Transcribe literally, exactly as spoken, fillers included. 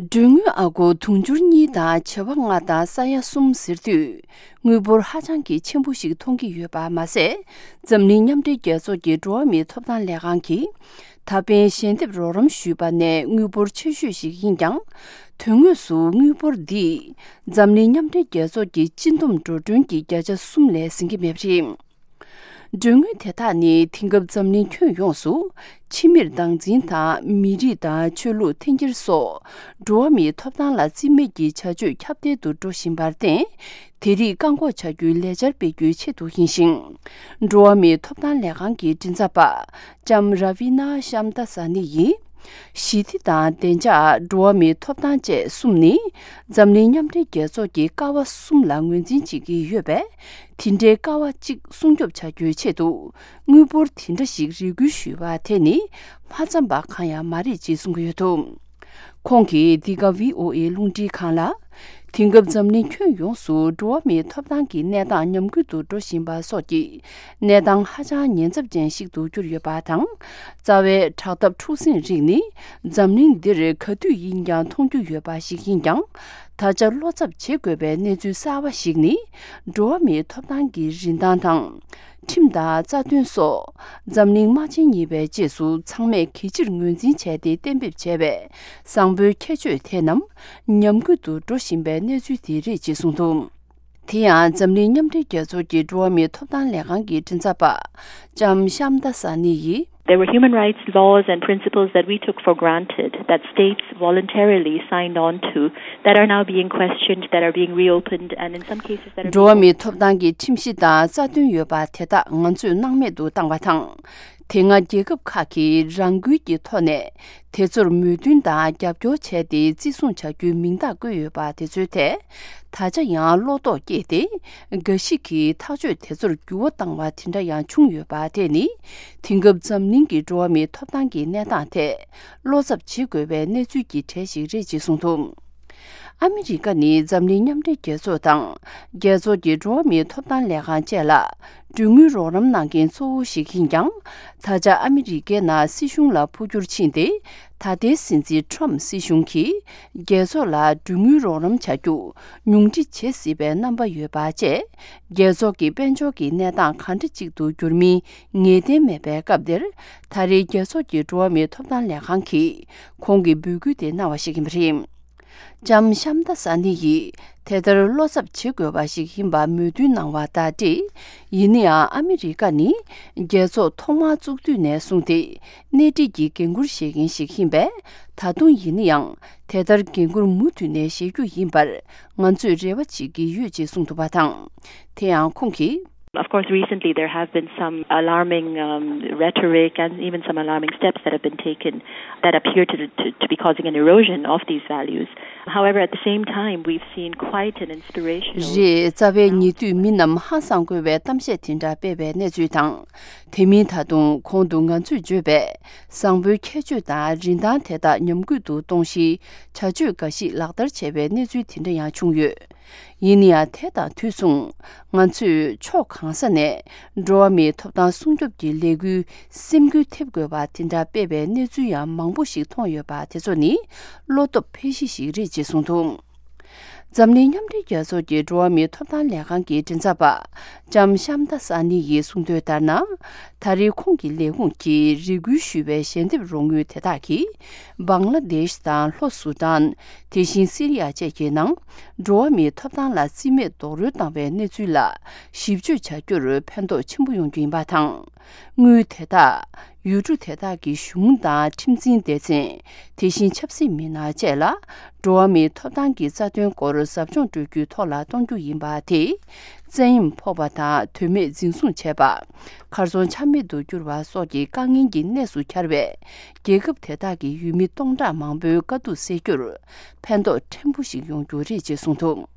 མགྲོན་དངུལ་ཨ་སྒོར་དུང་ཕྱུར་གཉིས་དང་བྱེ་བ་ལྔ་དང་ས་ཡ་གསུམ་ཟེར་དུས། དངུལ་འབོར་ཧ་ཅང་གི་ཆེན་པོ་ཞིག་མཐོང་གི་ཡོད་པ་མ་ཟད། འཛམ་གླིང་མཉམ་འབྲེལ་རྒྱལ་ཚོགས་ཀྱི་འགྲོ་བ་མིའི་ཐོབ་ཐང་ལས་ཁང་གིས་ད་ཕན་ཞལ་འདེབས་རོགས་རམ་ཞུས་པ་ནས་དངུལ་འབོར་ཆེ་ཤོས་ཤིག་ཡིན་ཀྱང་། དོན་དངོས་སུ་དངུལ་འབོར་འདིས་འཛམ་གླིང་མཉམ་འབྲེལ་རྒྱལ་ཚོགས་ཀྱི་སྤྱི་འདོམས་འགྲོ་གྲོན་གྱི་བརྒྱ་ཆ་གསུམ་ལས་ཟིན་གྱི་མེད་པ་རེད། མགྲོན་དངུལ་དེ་དག་ནི་དེང་སྐབས་འཛམ་གླིང་ཁྱོན་ཡོངས་སུ་ཕྱི་མིར་སྟངས་འཛིན་དང་མི་རིགས་དང་ཆོས་ལུགས་འཐེན་འཁྱེར་སོགས་འགྲོ་བ་མིའི་ཐོབ་ཐང་ལ་བརྩི་མེད་ཀྱི་བྱ་སྤྱོད་ཁྱབ་གདལ་དུ་འགྲོ་བཞིན་པར་བརྟེན། དེ་རིགས་བཀག་འགོག་བྱ་རྒྱུའི་ལས་འཆར་སྤེལ་རྒྱུའི་ཆེད་དུ་ཡིན་ཞིང་། འགྲོ་བ་མིའི་ཐོབ་ཐང་ལས་ཁང་གི་མགྲིན་ཚབ་པ་ལྕམ་ར་བི་ན་ཤམ་ད་ས་ནི་ཡིས། ཞི་བདེ་དང་བདེ་འཇགས། འགྲོ་བ་མིའི་ཐོབ་ཐང་བཅས་གསུམ་ནི་འཛམ་གླིང་མཉམ་འབྲེལ་རྒྱལ་ཚོགས་ཀྱི་ཀ་བ་གསུམ་ལ་ངོས་འཛིན་བྱེད་ཀྱི་ཡོད་པས། དེ་འདྲའི་ཀ་བ་གཅིག་སྲུང་སྐྱོབ་བྱ་རྒྱུའི་ཆེད་དུ་དངུལ་འབོར་དེ་འདྲ་ཞིག་རེ་སྐུལ་ཞུས་པ་དེ་ནི་མ་འཚམས་པ་གང་ཡང་མ་རེད་ཅེས་གསུང་གི་ཡོད་འདུག་ཁོང་གིས་འདི་ག་ཝི་ཨོ་ཨེ་རླུང་འཕྲིན་ཁང་ལ། དེང་སྐབས་འཛམ་གླིང་ཁྱོན་ཡོངས་སུ་འགྲོ་བ་མིའི་ཐོབ་ཐང་གི་གནས་སྟངས་ཉམས་རྒུད་དུ་འགྲོ་བཞིན་པ་སོགས་ཀྱི་གནས་སྟངས་ཧ་ཅང་ཉེན་ཚབས་ཅན་ཞིག་ཏུ་གྱུར་ཡོད་པ་དང་། རྩ་བའི་དྲག་འཐབ་འཁྲུག་ཟིང་རིགས་ནི་འཛམ་གླིང་འདིར་ག་དུས་ཡིན་ཀྱང་མཐོང་རྒྱུ་ཡོད་པ་ཞིག་ཡིན་ཀྱང་། ད་ཆ་བློ་འཚབ་བྱེད་དགོས་པའི་གནས་ཚུལ་གསར་བ་ཞིག་ནི། འགྲོ་བ་མིའི་ཐོབ་ཐང་གི་རིན་ཐང་དང་། ཁྲིམས་དང་རྩ་དོན་སོགས་འཛམ་གླིང་དམག་ཆེན་གཉིས་པའི་རྗེས་སུ་ཚང་མས་གལ་ཆེར་ངོས་འཛིན་བྱས་ཏེ་གཏན་འབེབས་བྱས་པའི་བཟང་པོའི་ཁྱད་ཆོས་དེ་རྣམས་ཉམས་རྒུད་དུ་འགྲོ་བཞིན་པའི་གནས་ཚུལ་དེ་རེད་ཅེས་གསུངས་འདུག་དེ་ཡང་འཛམ་གླིང་མཉམ་འབྲེལ་རྒྱལ་ཚོགས་ཀྱི་འགྲོ་བ་མིའི་ཐོབ་ཐང་ལས་ཁང་གི་མགྲིན་ཚབ་པ་ལྕམ་ཤམ་ད་ས་ནི་ཡིས། There were human rights laws and principles that we took for granted, that states voluntarily signed on to, that are now being questioned, that are being reopened, and in some cases that are འགྲོ་བ་མིའི་ཐོབ་ཐང་གི་ཁྲིམས་གཞི་དང་རྩ་དོན་ཡོད་པ་དེ་དག་ང་ཚོས་སྣང་མེད་དུ་བཏང་བ་དང་། དེ་སྔ་རྒྱལ་ཁབ་ཁག་གིས་རང་འགུལ་གྱི་ཐོག་ནས་དེ་ཚོར་མོས་མཐུན་དང་རྒྱབ་སྐྱོར་བྱས་ཏེ་བརྩི་སྲུང་བྱ་རྒྱུའི་མིང་རྟགས་བཀོད་ཡོད་པ་དེ་ཚོའི་ཐད། ད་ཆ་ཡང་བློ་དོགས་སྐྱེས་ཏེ། འགའ་ཞིག་གིས་ཐག་གཅོད་དེ་ཚོར་འགྱུར་བ་བཏང་བ་དེ་འདྲ་ཡང་བྱུང་ཡོད་པ་དེ་ནི། དེང་སྐབས་འཛམ་གླིང་གི་འགྲོ་བ་མིའི་ཐོབ་ཐང་གི་གནས་སྟངས་ཐད་བློ་འཚབ་བྱེད་དགོས་པའི་གནས་ཚུལ་གྱི་གྲས་ཤིག་རེད་ཅེས་གསུངས་འདུག་ཨ་མི་རི་ཀ་ནི་འཛམ་གླིང་མཉམ་འབྲེལ་རྒྱལ་ཚོགས་དང་། རྒྱལ་ཚོགས་ཀྱི་འགྲོ་བ་མིའི་ཐོབ་ཐང་ལས་ཁང་བཅས་ལ་མགྲོན་དངུལ་རོགས་རམ་གནང་མཁན་གཙོ་བོ་ཞིག་ཡིན་ཀྱང་། ད་ཆ་ཨ་མི་རི་ཀའི་ནང་སྲིད་གཞུང་ལ་འཕོ་འགྱུར་ཕྱིན་ཏེ། ད་ལྟའི་སྲིད་འཛིན་ཁྲོམ་སྲིད་གཞུང་གིས། རྒྱལ་ཚོགས་ལ་མགྲོན་དངུལ་རོགས་རམ་བྱ་རྒྱུ། ཉུང་འཕྲི་བྱེད་སྲིད་པའི་རྣམ་པ་ཡོད་པ་བཅས། རྒྱལ་ཚོགས་ཀྱི་དཔལ་འབྱོར་གྱི་གནས་སྟངས་གང་འདྲ་ཅིག་ཏུ་འགྱུར་མིན་ངེས་གཏན་མེད་པའི་སྐབས་འདིར། ད་རེས་རྒྱལ་ཚོགས་ཀྱི་འགྲོ་བ་མིའི་ཐོབ་ཐང་ལས་ཁང་གིས་ཁོང་གི་འབོད་སྐུལ་དེ་གནང་བ་ཞིག་ཡིན་པ་རེད། ལྕམ་ཤམ་ད་ས་ནི་ཡིས་དེ་ལྟར་བློ་འཚབ་བྱེད་དགོས་པ་ཞིག་ཡིན་པ་མོས་མཐུན་གནང་བ་དང་འབྲེལ། ཡིན་ན་ཡང་ཨ་མི་རི་ཀ་ནི་རྒྱལ་ཚོགས་ཐོག་མར་བཙུགས་དུས་ནས་བཟུང་སྟེ་སྣེ་ཁྲིད་ཀྱི་འགན་འཁུར་བཞེས་མཁན་ཞིག་ཡིན་པས། ད་དུང་ཡིན་ན་ཡང་དེ་ལྟར་འགན་འཁུར་མུ་མཐུད་ནས་བཞེས་རྒྱུ་ཡིན་པར་ང་ཚོས་རེ་བ་བྱེད་ཀྱི་ཡོད་ཅེས་གསུངས་འདུག་པ་དང་། དེ་ཡང་ཁོང་གིས། Of course, recently there have been some alarming um, rhetoric and even some alarming steps that have been taken that appear to, to, to be causing an erosion of these values. However, at the same time, we've seen quite an inspirational རེད། རྩ་བའི་ཉེ་དུས་མི་རྣམས་ཧང་སང་དགོས་པའི་གཏམ་བཤད་དེ་འདྲ་སྤེལ་བའི་གནས་ཚུལ་དང་། དེ་མིན་ད་དུང་གོང་དུ་ང་ཚོས་བརྗོད་པའི་བཟང་པོའི་ཁྱད་ཆོས་དང་རིན་ཐང་དེ་དག་ཉམས་རྒུད་དུ་གཏོང་གཞིའི་བྱ་སྤྱོད་འགའ་ཞིག་ལག་བསྟར་བྱས་པའི་གནས་ཚུལ་དེ་འདྲ་ཡང་བྱུང་ཡོད། ཡིན་ན་ཡང་དེ་དང་དུས་མཚུངས། ང་ཚོས་ཕྱོགས་གང་ས་ནས་འགྲོ་བ་མིའི་ཐོབ་ཐང་སྲུང་སྐྱོབ་ཀྱི་ལས་འགུལ་སེམས་འགུལ་ཐེབས་དགོས་པ་དེ་འདྲ་སྤེལ་བའི་གནས་ཚུལ་ཡང་མང་པོ་ཞིག་མཐོང་ཡོད་པ་དེ་ཚོ་ནི་བློ་སྟོབས་འཕེལ་གཞི་ཞིག་རེད་ཅེས་གསུངས་འདུག་འཛམ་གླིང་མཉམ་འབྲེལ་རྒྱལ་ཚོགས་ཀྱི་འགྲོ་བ་མིའི་ཐོབ་ཐང་ལས་ཁང་གི་མགྲིན་ཚབ་པ་ལྕམ་ཤམ་ད་ས་ནི་ཡིས་གསུངས་དོན་ལྟར་ན། ད་རེས་ཁོང་གི་ལས་ཁུངས་ཀྱིས་རེ་སྐུལ་ཞུས་པའི་ཞལ་འདེབས་རོགས་དངུལ་དེ་དག་གིས། བང་ལ་དེཤ་དང་ལྷོ་སུ་ཏན། དེ་བཞིན་སི་རི་ཡ་བཅས་ཀྱི་ནང་། འགྲོ་བ་མིའི་ཐོབ་ཐང་ལ་རྩིས་མེད་རྡོག་རོལ་བཏང་བའི་གནས་ཚུལ་ལ་ཞིབ་དཔྱོད་བྱ་རྒྱུར་ཕན་ཐོགས་ཆེན་པོ་ཡོང་རྒྱུ་ཡིན་པ་དང་། དངུལ་དེ་དག་ཡུལ་གྲུ་དེ་དག་གི་གཞུང་དང་ཁྲིམས་འཛིན་སྡེ་ཚན། དེ་བཞིན་ཆབ་སྲིད་མི་སྣ་བཅས་ལ། འགྲོ་བ་མིའི་ཐོབ་ཐང་གི་རྩ་དོན་སྐོར་ཟབ་སྦྱོང་སྤྲོད་རྒྱུའི་ཐོག་ལ་གཏོང་རྒྱུ་ཡིན་པ་དེས། བཙན་གཡེམ་ཕོག་པ་དང་དོན་མེད་འཛིན་བཟུང་བྱས་པ། གར་སོང་ཆ་མེད་དུ་གྱུར་བ་སོགས་ཀྱི་དཀའ་ངལ་གྱི་གནས་སུ་གྱར་བའི་རྒྱལ་ཁབ་དེ་དག་གི་ཡུལ་མི་སྟོང་ཕྲག་མང་པོའི་དཀའ་སྡུག་སེལ་རྒྱུར་ཕན་ཐོགས་ཕྲན་བུ་ཞིག་ཡོང་རྒྱུ་རེད་ཅེས་གསུངས་འདུག